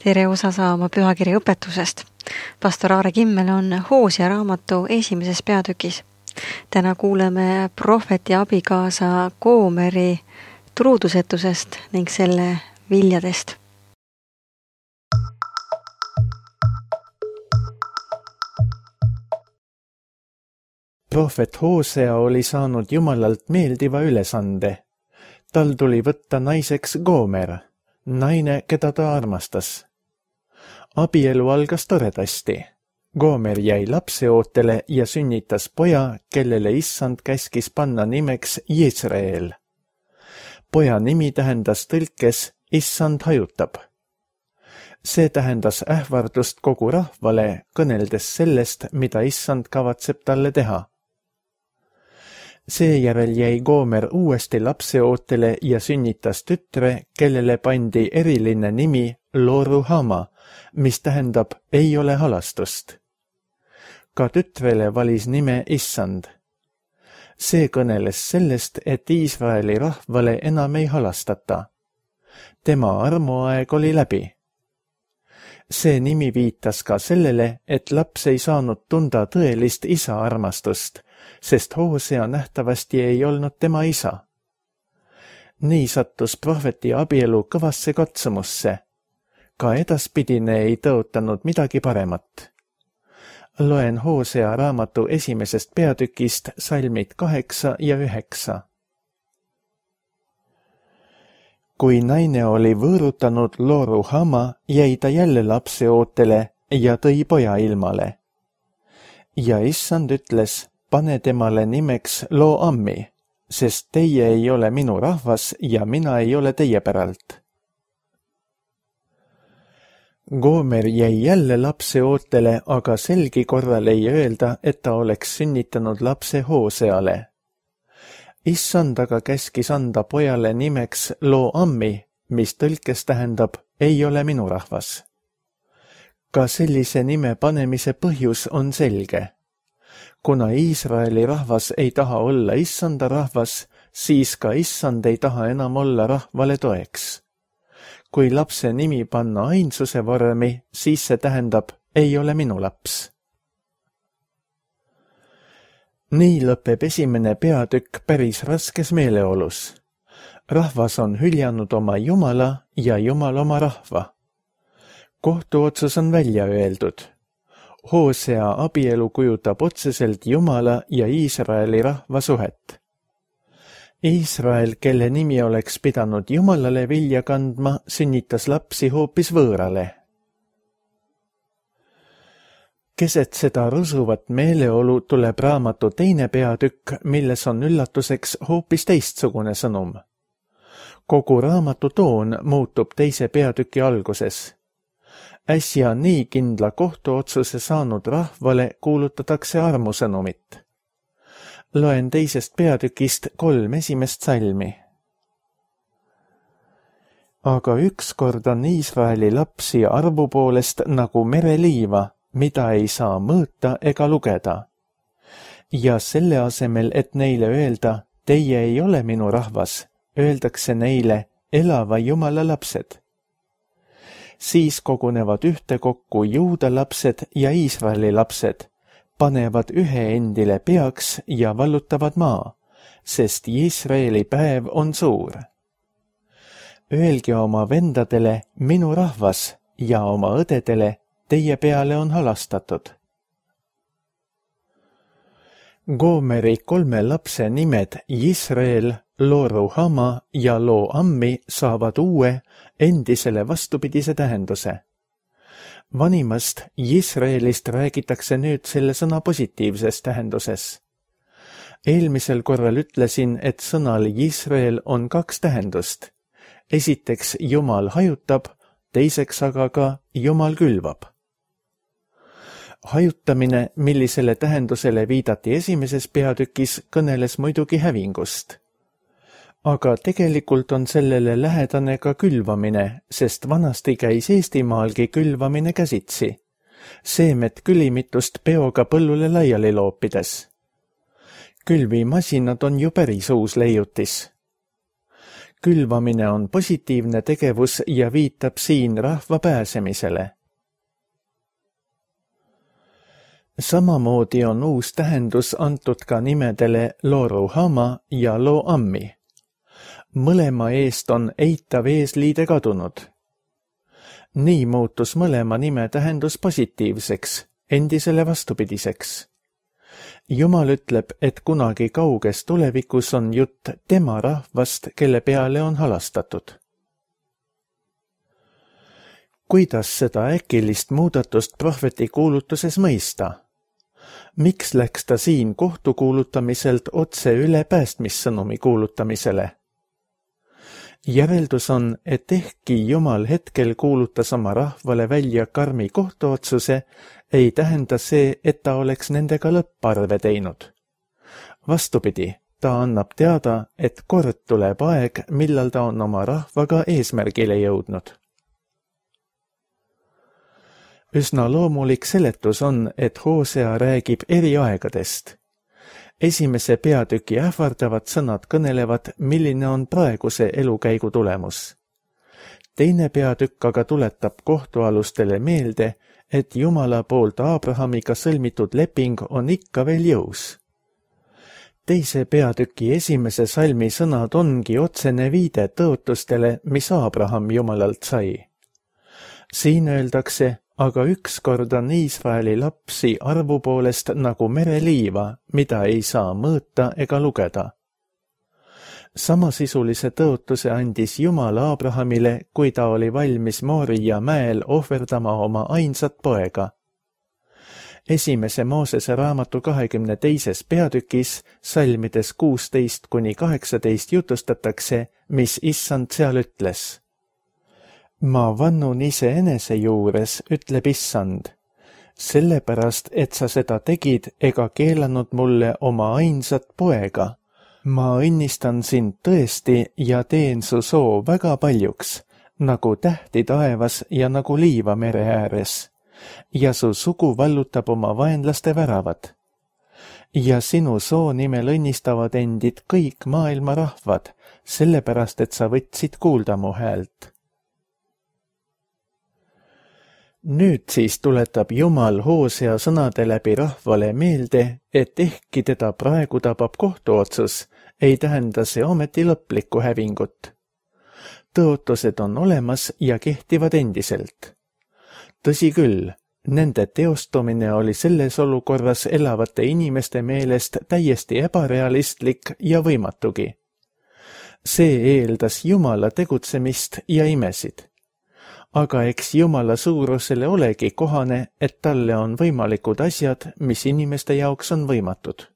Tere osa saama pühakirja õpetusest. Pastor Aare Kimmel on Hoosea raamatu esimeses peatükis. Täna kuuleme prohveti abikaasa Goomeri truudusetusest ning selle viljadest. Prohvet Hoosea oli saanud Jumalalt meeldiva ülesande. Tal tuli võtta naiseks Goomer, naine, keda ta armastas. Abielu algas toredasti. Goomer jäi lapseootele ja sünnitas poja, kellele Issand käskis panna nimeks Jezreel. Poja nimi tähendas tõlkes Issand hajutab. See tähendas ähvardust kogu rahvale, kõneldes sellest, mida Issand kavatseb talle teha. Seejärel jäi Goomer uuesti lapseootele ja sünnitas tütre, kellele pandi eriline nimi Lo-ruhama, mis tähendab ei ole halastust. Ka tütrele valis nime Issand. See kõneles sellest, et Iisraeli rahvale enam ei halastata. Tema armuaeg oli läbi. See nimi viitas ka sellele, et laps ei saanud tunda tõelist isa armastust, sest Hoosea nähtavasti ei olnud tema isa. Nii sattus prohveti abielu kõvasse katsumusse. Ka edaspidine ei tõotanud midagi paremat. Loen Hoosea raamatu esimesest peatükist salmid 8 ja 9. Kui naine oli võõrutanud Lo-ruhama, jäi ta jälle lapseootele ja tõi poja ilmale. Ja Issand ütles, pane temale nimeks Lo-ammi, sest teie ei ole minu rahvas ja mina ei ole teie päralt. Goomer jäi jälle lapseootele, aga selgi korral ei öelda, et ta oleks sünnitanud lapse Hooseale. Issand aga käskis anda pojale nimeks Lo-ammi, mis tõlkes tähendab ei ole minu rahvas. Ka sellise nime panemise põhjus on selge. Kuna Iisraeli rahvas ei taha olla Issanda rahvas, siis ka Issand ei taha enam olla rahvale toeks. Kui lapse nimi panna ainsuse vormi, siis see tähendab ei ole minu laps. Nii lõpeb esimene peatükk päris raskes meeleolus. Rahvas on hüljanud oma Jumala ja Jumal oma rahva. Kohtuotsus on välja öeldud. Hoosea abielu kujutab otseselt Jumala ja Iisraeli rahva suhet. Iisrael, kelle nimi oleks pidanud Jumalale vilja kandma, sünnitas lapsi hoopis võõrale. Keset seda rusuvat meeleolu tuleb raamatu teine peatükk, milles on üllatuseks hoopis teistsugune sõnum. Kogu raamatu toon muutub teise peatüki alguses. Äsja nii kindla kohtuotsuse saanud rahvale kuulutatakse armusõnumit. Loen teisest peatükist 3 esimest salmi. Aga ükskord on Iisraeli lapsi arvu poolest nagu mereliiva, mida ei saa mõõta ega lugeda. Ja selle asemel, et neile öelda, teie ei ole minu rahvas, öeldakse neile elava Jumala lapsed. Siis kogunevad ühtekokku Juuda lapsed ja Iisraeli lapsed, panevad ühe endile peaks ja vallutavad maa, sest Iisraeli päev on suur. Öelge oma vendadele minu rahvas ja oma õdedele teie peale on halastatud. Goomeri 3 lapse nimed Jezreel, Lo-ruhama ja Lo-ammi saavad uue, endisele vastupidise tähenduse. Vanimast Jezreelist räägitakse nüüd selle sõna positiivses tähenduses. Eelmisel korral ütlesin, et sõnal Jezreel on 2 tähendust. Esiteks Jumal hajutab, teiseks aga ka Jumal külvab. Hajutamine, millisele tähendusele viidati esimeses peatükis, kõneles muidugi hävingust. Aga tegelikult on sellele lähedane ka külvamine, sest vanasti käis Eestimaalgi külvamine käsitsi. Seemet külimitust peoga põllule laiali loopides. Külvimasinad on ju päris uus leiutis. Külvamine on positiivne tegevus ja viitab siin rahva pääsemisele. Samamoodi on uus tähendus antud ka nimedele Loruhama ja Lo-Ammi. Mõlema eest on eitav eesliide kadunud. Nii muutus mõlema nime tähendus positiivseks, endisele vastupidiseks. Jumal ütleb, et kunagi kauges tulevikus on jutt tema rahvast, kelle peale on halastatud. Kuidas seda äkilist muudatust prohveti kuulutuses mõista? Miks läks ta siin kohtu kuulutamiselt otse üle päästmissõnumi kuulutamisele? Järeldus on, et ehkki Jumal hetkel kuulutas oma rahvale välja karmi kohtuotsuse, ei tähenda see, et ta oleks nendega lõpparve teinud. Vastupidi, ta annab teada, et kord tuleb aeg, millal ta on oma rahvaga eesmärgile jõudnud. Üsna loomulik seletus on, et Hosea räägib eri aegadest. Esimese peatüki ähvardavad sõnad kõnelevad, milline on praeguse elukäigu tulemus. Teine peatükk aga tuletab kohtualustele meelde, et Jumala poolt Abrahamiga sõlmitud leping on ikka veel jõus. Teise peatüki esimese salmi sõnad ongi otsene viide tõotustele, mis Abraham Jumalalt sai. Siin öeldakse, aga ükskord on Iisraeli lapsi arvu poolest nagu mereliiva, mida ei saa mõõta ega lugeda. Samasisulise tõotuse andis Jumal Abrahamile, kui ta oli valmis Mooria mäel ohverdama oma ainsat poega. Esimese Moosese raamatu 22. peatükis, salmides 16–18 jutustatakse, mis Issand seal ütles. Ma vannun iseenese juures, ütleb Issand, sellepärast, et sa seda tegid ega keelanud mulle oma ainsat poega. Ma õnnistan sind tõesti ja teen su soo väga paljuks, nagu tähti taevas ja nagu liiva mere ääres. Ja su sugu vallutab oma vaenlaste väravad. Ja sinu soo nimel õnnistavad endid kõik maailma rahvad, sellepärast, et sa võtsid kuulda mu häält. Nüüd siis tuletab Jumal Hosea sõnade läbi rahvale meelde, et ehkki teda praegu tabab kohtuotsus, ei tähenda see ometi lõplikku hävingut. Tõotused on olemas ja kehtivad endiselt. Tõsi küll, nende teostumine oli selles olukorras elavate inimeste meelest täiesti ebarealistlik ja võimatugi. See eeldas Jumala tegutsemist ja imesid. Aga eks Jumala suurusele olegi kohane, et talle on võimalikud asjad, mis inimeste jaoks on võimatud.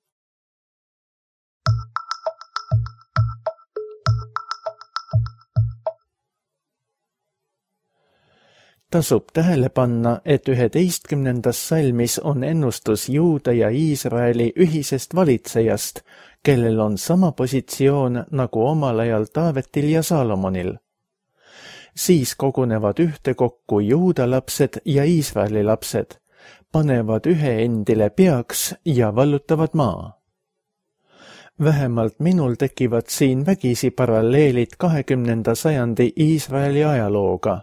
Tasub tähele panna, et 11. salmis on ennustus Juuda ja Iisraeli ühisest valitsejast, kellel on sama positsioon nagu omal ajal Taavetil ja Saalomonil. Siis kogunevad ühtekokku Juuda lapsed ja Iisraeli lapsed, panevad ühe endile peaks ja vallutavad maa. Vähemalt minul tekivad siin vägisi paralleelid 20. sajandi Iisraeli ajalooga.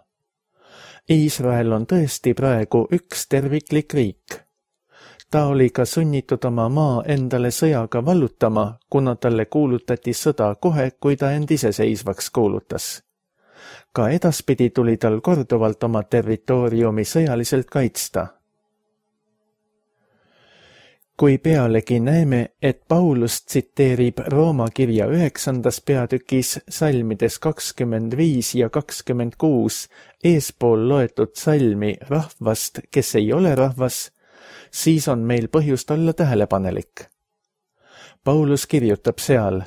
Iisrael on tõesti praegu üks terviklik riik. Ta oli ka sunnitud oma maa endale sõjaga vallutama, kuna talle kuulutati sõda kohe, kui ta end iseseisvaks kuulutas. Ka edaspidi tuli tal korduvalt oma territooriumi sõjaliselt kaitsta. Kui pealegi näeme, et Paulus tsiteerib Rooma kirja 9. peatükis salmides 25 ja 26 eespool loetud salmi rahvast, kes ei ole rahvas, siis on meil põhjust olla tähelepanelik. Paulus kirjutab seal,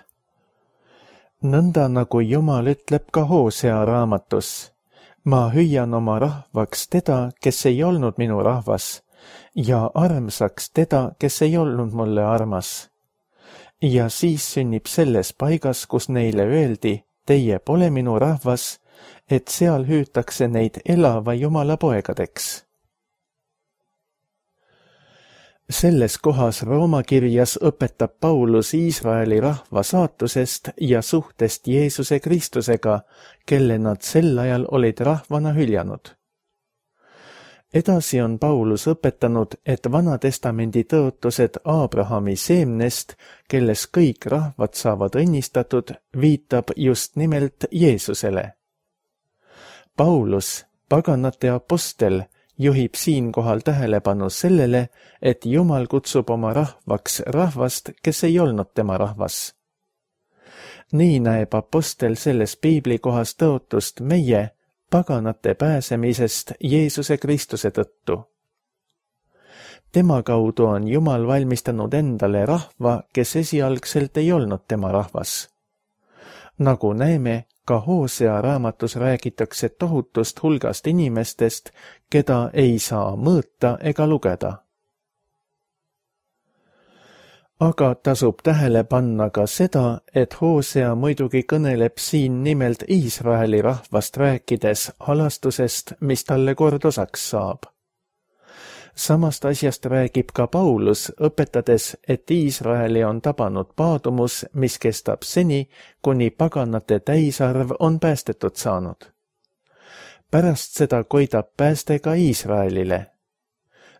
nõnda nagu Jumal ütleb ka Hosea raamatus, ma hüüan oma rahvaks teda, kes ei olnud minu rahvas, ja armsaks teda, kes ei olnud mulle armas. Ja siis sünnib selles paigas, kus neile öeldi, teie pole minu rahvas, et seal hüütakse neid elava Jumala poegadeks. Selles kohas Rooma kirjas õpetab Paulus Iisraeli rahva saatusest ja suhtest Jeesuse Kristusega, kelle nad sel ajal olid rahvana hüljanud. Edasi on Paulus õpetanud, et Vanatestamendi tõotused Abrahami seemnest, kelles kõik rahvad saavad õnnistatud, viitab just nimelt Jeesusele. Paulus, paganate apostel, juhib siinkohal tähelepanu sellele, et Jumal kutsub oma rahvaks rahvast, kes ei olnud tema rahvas. Nii näeb apostel selles piiblikohas tõotust meie, paganate pääsemisest Jeesuse Kristuse tõttu. Tema kaudu on Jumal valmistanud endale rahva, kes esialgselt ei olnud tema rahvas. Nagu näeme, ka Hoosea raamatus räägitakse tohutust hulgast inimestest, keda ei saa mõõta ega lugeda. Aga tasub tähele panna ka seda, et Hoosea muidugi kõneleb siin nimelt Iisraeli rahvast rääkides halastusest, mis talle kord osaks saab. Samast asjast räägib ka Paulus, õpetades, et Iisraeli on tabanud paadumus, mis kestab seni, kuni paganate täisarv on päästetud saanud. Pärast seda koidab pääste ka Iisraelile.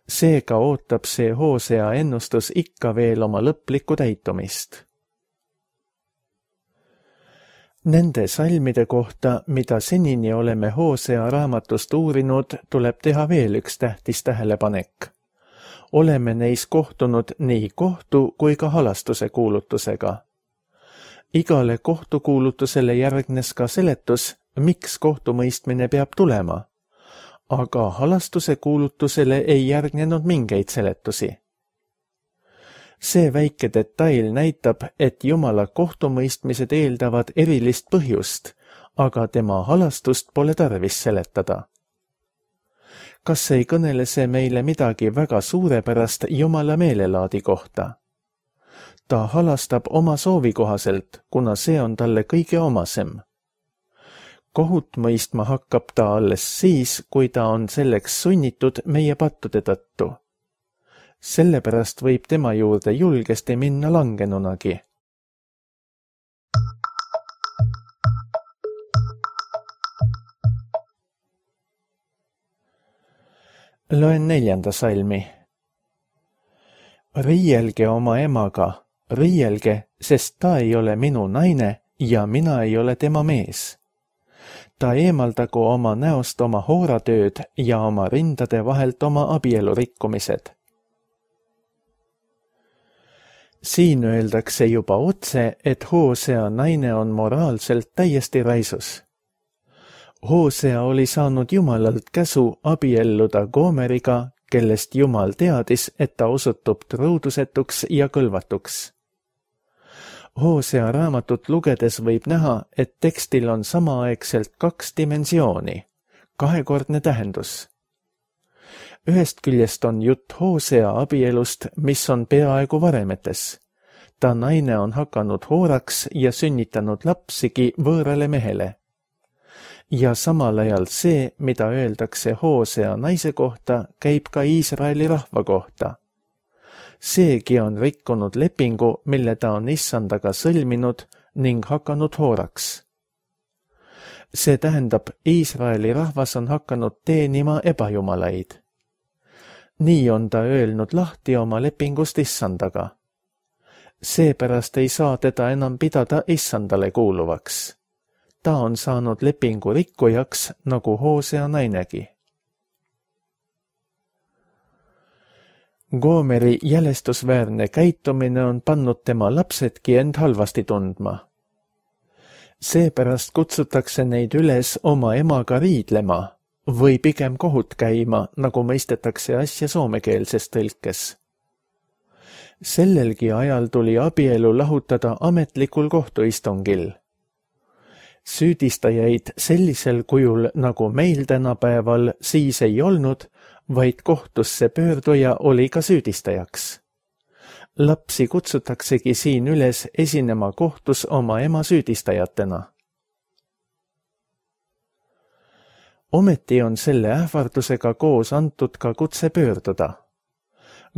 Seega ootab see Hoosea ennustus ikka veel oma lõplikku täitumist. Nende salmide kohta, mida senini oleme Hoosea raamatust uurinud, tuleb teha veel üks tähtis tähelepanek. Oleme neis kohtunud nii kohtu kui ka halastuse kuulutusega. Igale kohtukuulutusele järgnes ka seletus, miks kohtumõistmine peab tulema. Aga halastuse kuulutusele ei järgnenud mingeid seletusi. See väike detail näitab, et Jumala kohtumõistmised eeldavad erilist põhjust, aga tema halastust pole tarvis seletada. Kas ei kõnele see meile midagi väga suurepärast Jumala meelelaadi kohta? Ta halastab oma soovi kohaselt, kuna see on talle kõige omasem. Kohut mõistma hakkab ta alles siis, kui ta on selleks sunnitud meie pattude tõttu. Sellepärast võib tema juurde julgesti minna langenunagi. Loen 4. salmi. Riielge oma emaga, riielge, sest ta ei ole minu naine ja mina ei ole tema mees. Ta eemaldagu oma näost oma hooratööd ja oma rindade vahelt oma abielurikkumised. Siin öeldakse juba otse, et Hoosea naine on moraalselt täiesti raisus. Hoosea oli saanud Jumalalt käsu abielluda Goomeriga, kellest Jumal teadis, et ta osutub truudusetuks ja kõlvatuks. Hoosea raamatut lugedes võib näha, et tekstil on samaaegselt 2 dimensiooni, kahekordne tähendus. Ühest küljest on jutt Hoosea abielust, mis on peaaegu varemetes. Ta naine on hakanud hooraks ja sünnitanud lapsigi võõrale mehele. Ja samal ajal see, mida öeldakse Hoosea naise kohta, käib ka Iisraeli rahva kohta. Seegi on rikkunud lepingu, mille ta on issandaga sõlminud ning hakanud hooraks. See tähendab, Iisraeli rahvas on hakanud teenima ebajumalaid. Nii on ta öelnud lahti oma lepingust issandaga. Seepärast ei saa teda enam pidada issandale kuuluvaks. Ta on saanud lepingu rikkujaks, nagu Hoosea nainegi. Goomeri jälestusväärne käitumine on pannud tema lapsedki end halvasti tundma. Seepärast kutsutakse neid üles oma emaga riidlema või pigem kohut käima, nagu mõistetakse asja soomekeelses tõlkes. Sellelgi ajal tuli abielu lahutada ametlikul kohtuistungil. Süüdistajaid sellisel kujul, nagu meil tänapäeval, siis ei olnud, vaid kohtusse pöörduja oli ka süüdistajaks. Lapsi kutsutaksegi siin üles esinema kohtus oma ema süüdistajatena. Ometi on selle ähvardusega koos antud ka kutse pöörduda.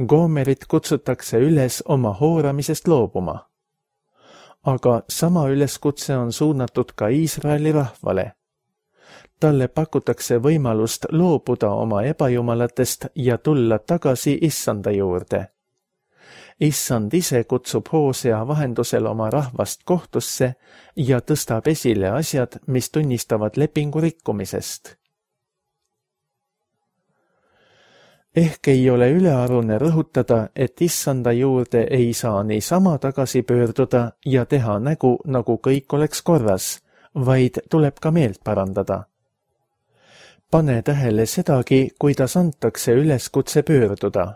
Goomerit kutsutakse üles oma hooramisest loobuma. Aga sama üleskutse on suunatud ka Iisraeli rahvale. Talle pakutakse võimalust loobuda oma ebajumalatest ja tulla tagasi Issanda juurde. Issand ise kutsub Hoosea vahendusel oma rahvast kohtusse ja tõstab esile asjad, mis tunnistavad lepingu rikkumisest. Ehk ei ole ülearune rõhutada, et Issanda juurde ei saa niisama tagasi pöörduda ja teha nägu, nagu kõik oleks korras, vaid tuleb ka meelt parandada. Pane tähele sedagi, kuidas antakse üleskutse pöörduda.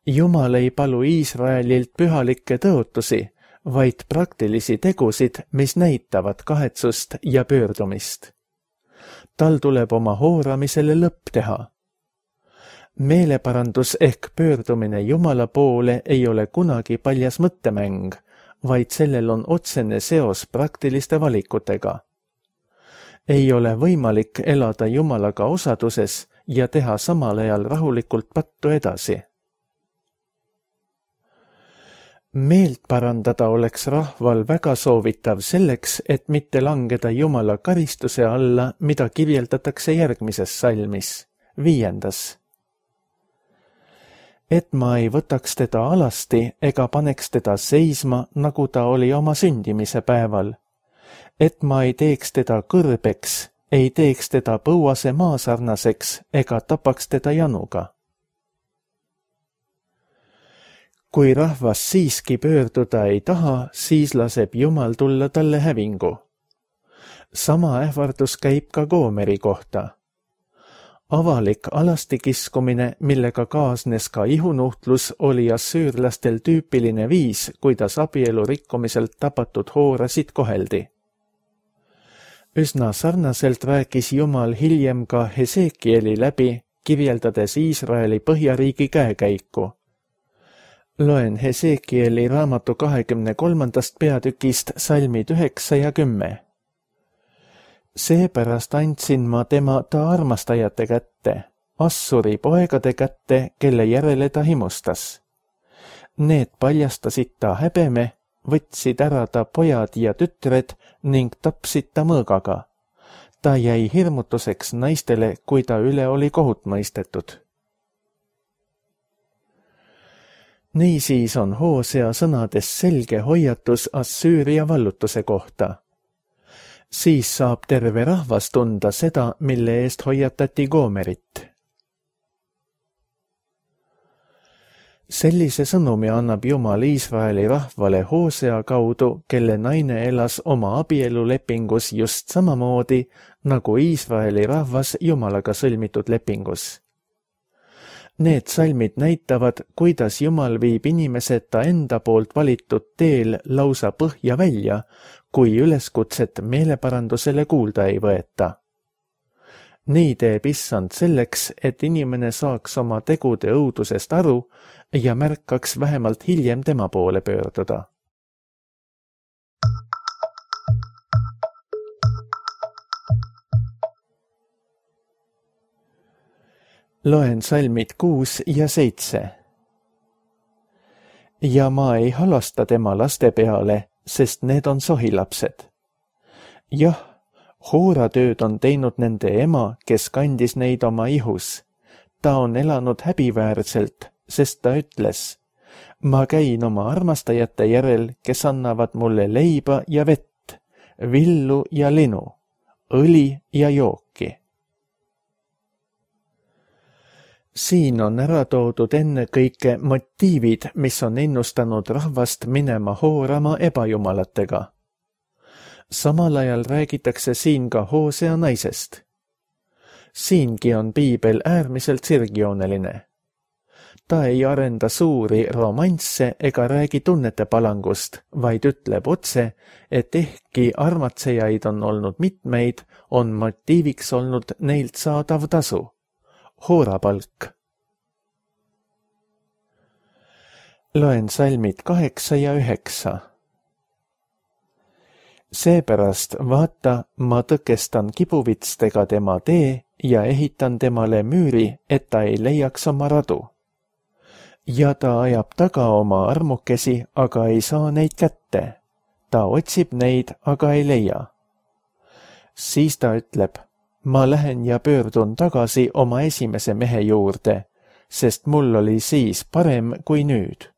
Jumal ei palu Iisraelilt pühalikke tõotusi, vaid praktilisi tegusid, mis näitavad kahetsust ja pöördumist. Tal tuleb oma hooramisele lõpp teha. Meeleparandus ehk pöördumine Jumala poole ei ole kunagi paljas mõttemäng, vaid sellel on otsene seos praktiliste valikutega. Ei ole võimalik elada Jumalaga osaduses ja teha samal ajal rahulikult pattu edasi. Meelt parandada oleks rahval väga soovitav selleks, et mitte langeda Jumala karistuse alla, mida kirjeldatakse järgmises salmis, 5. Et ma ei võtaks teda alasti ega paneks teda seisma, nagu ta oli oma sündimise päeval. Et ma ei teeks teda kõrbeks, ei teeks teda põuase maasarnaseks ega tapaks teda januga. Kui rahvas siiski pöörduda ei taha, siis laseb Jumal tulla talle hävingu. Sama ähvardus käib ka Goomeri kohta. Avalik alastikiskumine, millega kaasnes ka ihunuhtlus, oli assüürlastel tüüpiline viis, kuidas abielu rikkumiselt tapatud hoorasid koheldi. Üsna sarnaselt rääkis Jumal hiljem ka Hesekieli läbi, kirjeldades Iisraeli põhjariigi käekäiku. Loen Hesekieli raamatu 23. peatükist salmid 9 ja 10. Seepärast andsin ma tema ta armastajate kätte, Assuri poegade kätte, kelle järele ta himustas. Need paljastasid ta häbeme, võtsid ära ta pojad ja tütred ning tapsid ta mõõgaga. Ta jäi hirmutuseks naistele, kui ta üle oli kohut mõistetud. Niisiis on Hoosea sõnades selge hoiatus Assüüria vallutuse kohta. Siis saab terve rahvas tunda seda, mille eest hoiatati Goomerit. Sellise sõnumi annab Jumal Iisraeli rahvale Hoosea kaudu, kelle naine elas oma abielulepingus just samamoodi, nagu Iisraeli rahvas Jumalaga sõlmitud lepingus. Need salmid näitavad, kuidas Jumal viib inimesed ta enda poolt valitud teel lausa põhja välja, kui üleskutset meeleparandusele kuulda ei võeta. Nii teeb Issand selleks, et inimene saaks oma tegude õudusest aru ja märkaks vähemalt hiljem tema poole pöörduda. Loen salmid 6 ja 7. Ja ma ei halasta tema laste peale, sest need on sohilapsed. Jah, hooratööd on teinud nende ema, kes kandis neid oma ihus. Ta on elanud häbiväärselt, sest ta ütles, ma käin oma armastajate järel, kes annavad mulle leiba ja vett, villu ja linu, õli ja jooki. Siin on ära toodud ennekõike motiivid, mis on ennustanud rahvast minema hoorama ebajumalatega. Samal ajal räägitakse siin ka Hoosea naisest. Siingi on piibel äärmiselt sirgjooneline. Ta ei arenda suuri romansse ega räägi tunnete palangust, vaid ütleb otse, et ehkki armatsejaid on olnud mitmeid, on motiiviks olnud neilt saadav tasu. Hoorapalk. Loen salmid 8 ja 9. Seepärast vaata, ma tõkestan kibuvitstega tema tee ja ehitan temale müüri, et ta ei leiaks oma radu. ja ta ajab taga oma armukesi, aga ei saa neid kätte. Ta otsib neid, aga ei leia. Siis ta ütleb, ma lähen ja pöördun tagasi oma esimese mehe juurde, sest mul oli siis parem kui nüüd.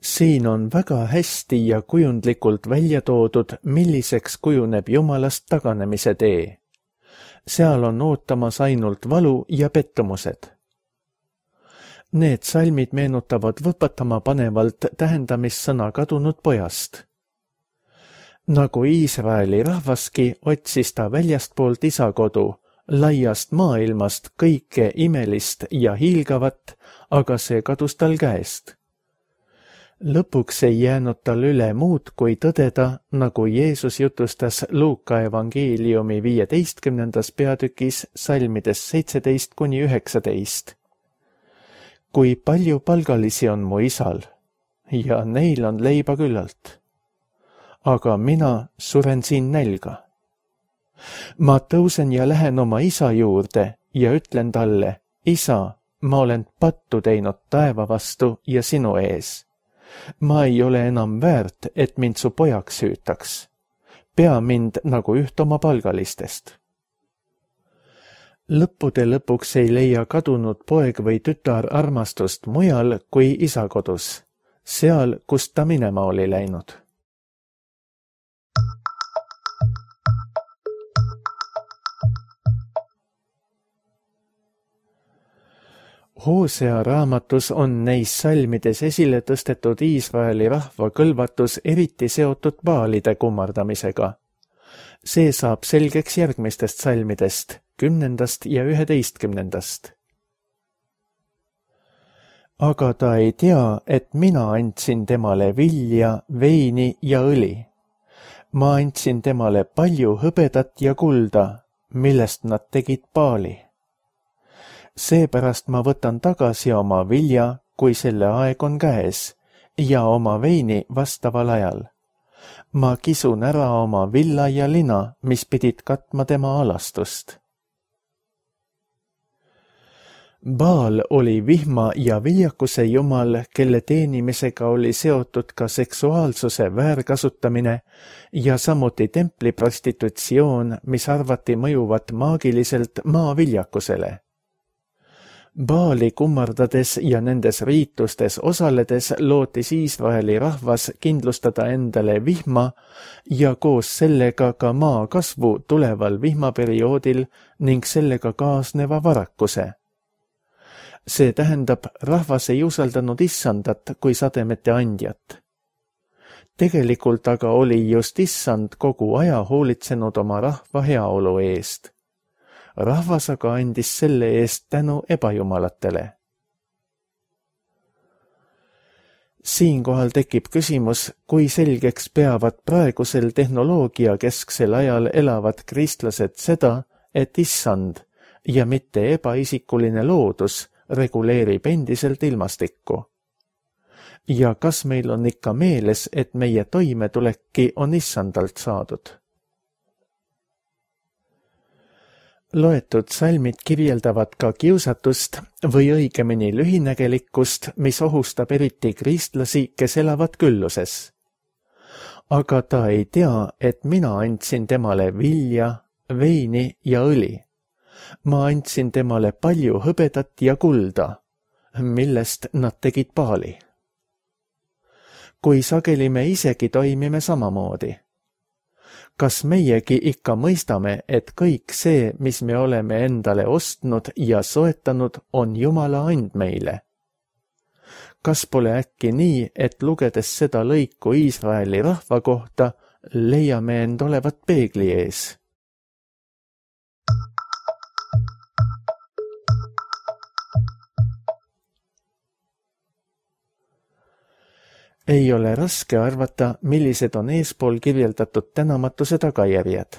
Siin on väga hästi ja kujundlikult välja toodud, milliseks kujuneb Jumalast taganemise tee. Seal on ootamas ainult valu ja pettumused. Need salmid meenutavad võpatama panevalt tähendamissõna kadunud pojast. Nagu Iisraeli rahvaski, otsis ta väljastpoolt isakodu, laiast maailmast kõike imelist ja hiilgavat, aga see kadus tal käest. Lõpuks ei jäänud tal üle muud kui tõdeda, nagu Jeesus jutustas Luuka evangeeliumi 15. peatükis salmides 17–19. Kui palju palgalisi on mu isal, ja neil on leiba küllalt. Aga mina suren siin nälga. Ma tõusen ja lähen oma isa juurde ja ütlen talle, isa, ma olen pattu teinud taeva vastu ja sinu ees. Ma ei ole enam väärt, et mind su pojaks hüütaks. Pea mind nagu üht oma palgalistest. Lõppude lõpuks ei leia kadunud poeg või tütar armastust mujal kui isa kodus, seal, kust ta minema oli läinud. Hoosea raamatus on neis salmides esile tõstetud Iisraeli rahva kõlvatus eriti seotud baalide kummardamisega. See saab selgeks järgmistest salmidest, 10. ja 11. Aga ta ei tea, et mina andsin temale vilja, veini ja õli. Ma andsin temale palju hõbedat ja kulda, millest nad tegid baali. Seepärast ma võtan tagasi oma vilja, kui selle aeg on käes, ja oma veini vastaval ajal. Ma kisun ära oma villa ja lina, mis pidid katma tema alastust. Baal oli vihma ja viljakuse jumal, kelle teenimisega oli seotud ka seksuaalsuse väärkasutamine ja samuti templiprostitutsioon, mis arvati mõjuvat maagiliselt maa viljakusele. Baali kummardades ja nendes riitustes osaledes lootis Iisraeli rahvas kindlustada endale vihma ja koos sellega ka maa kasvu tuleval vihmaperioodil ning sellega kaasneva varakuse. See tähendab, rahvas ei usaldanud issandat kui sademete andjat. Tegelikult aga oli just issand kogu aja hoolitsenud oma rahva heaolu eest. Rahvas aga andis selle eest tänu ebajumalatele. Siinkohal tekib küsimus, kui selgeks peavad praegusel tehnoloogiakesksel ajal elavad kristlased seda, et issand ja mitte ebaisikuline loodus reguleerib endiselt ilmastikku. Ja kas meil on ikka meeles, et meie toimetulekki on issandalt saadud? Loetud salmid kirjeldavad ka kiusatust või õigemini lühinägelikkust, mis ohustab eriti kristlasi, kes elavad külluses. Aga ta ei tea, et mina andsin temale vilja, veini ja õli. Ma andsin temale palju hõbedat ja kulda, millest nad tegid baali. Kui sageli me isegi toimime samamoodi. Kas meiegi ikka mõistame, et kõik see, mis me oleme endale ostnud ja soetanud, on Jumala and meile? Kas pole äkki nii, et lugedes seda lõiku Iisraeli rahva kohta, leiame end olevat peegli ees? Ei ole raske arvata, millised on eespool kirjeldatud tänamatuse tagajärjed.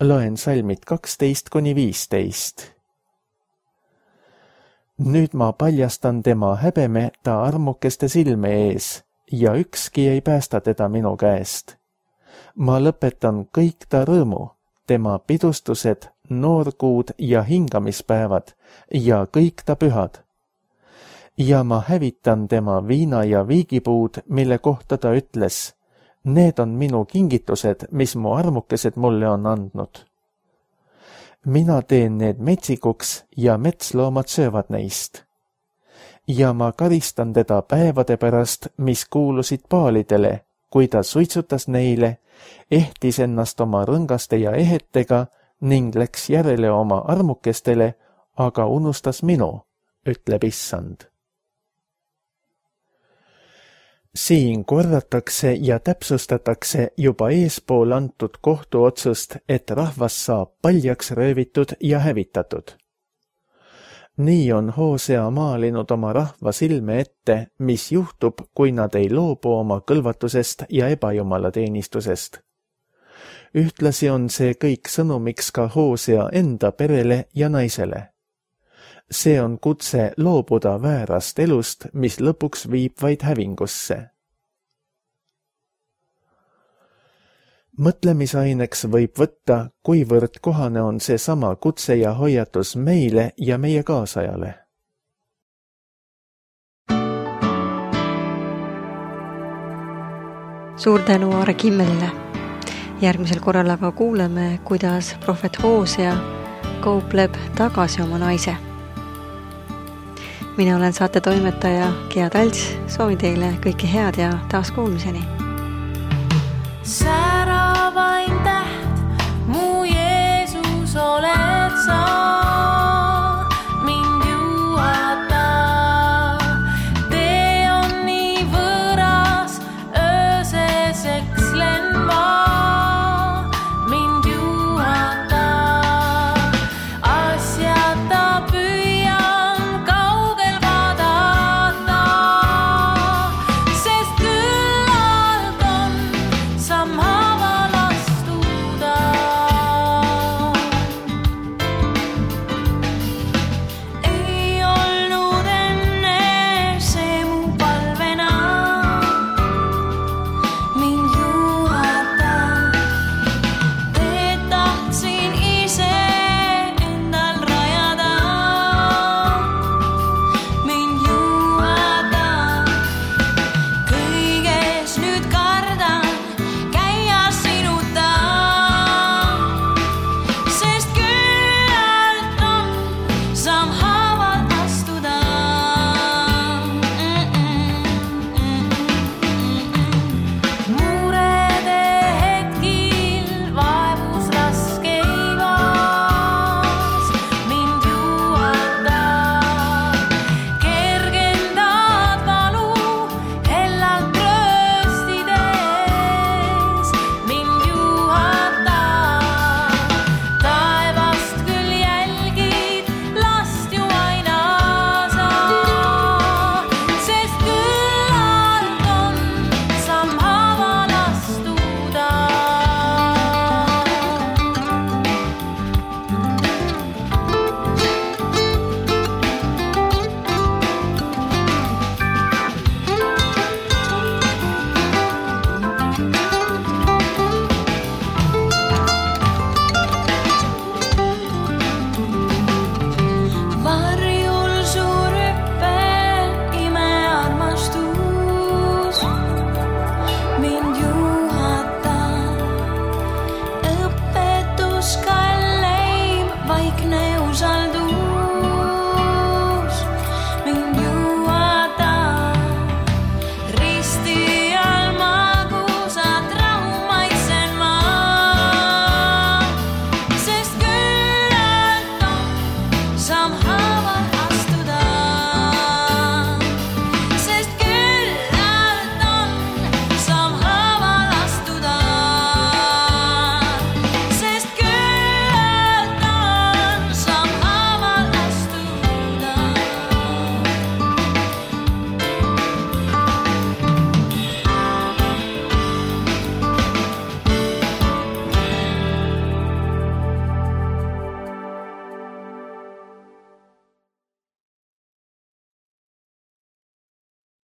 Loen salmid 12–15. Nüüd ma paljastan tema häbeme ta armukeste silme ees ja ükski ei päästa teda minu käest. Ma lõpetan kõik ta rõõmu, tema pidustused, noorkuud ja hingamispäevad ja kõik ta pühad, ja ma hävitan tema viina- ja viigipuud, mille kohta ta ütles, need on minu kingitused, mis mu armukesed mulle on andnud. Mina teen need metsikuks ja metsloomad söövad neist. Ja ma karistan teda päevade pärast, mis kuulusid paalidele, kui ta suitsutas neile, ehtis ennast oma rõngaste ja ehetega ning läks järele oma armukestele, aga unustas minu, ütleb Issand. Siin korratakse ja täpsustatakse juba eespool antud kohtuotsust, et rahvas saab paljaks röövitud ja hävitatud. Nii on Hosea maalinud oma rahva silme ette, mis juhtub, kui nad ei loobu oma kõlvatusest ja ebajumalateenistusest. Ühtlasi on see kõik sõnumiks ka Hosea enda perele ja naisele. See on kutse loobuda väärast elust, mis lõpuks viib vaid hävingusse. Mõtlemisaineks võib võtta, kuivõrd kohane on see sama kutse ja hoiatus meile ja meie kaasajale. Suur tänu Aare Kimmelile. Järgmisel korral aga kuuleme, kuidas prohvet Hosea kaupleb tagasi oma naise. Mina olen saate toimetaja Gea Talts, soovin teile kõike head ja taas kuulmiseni.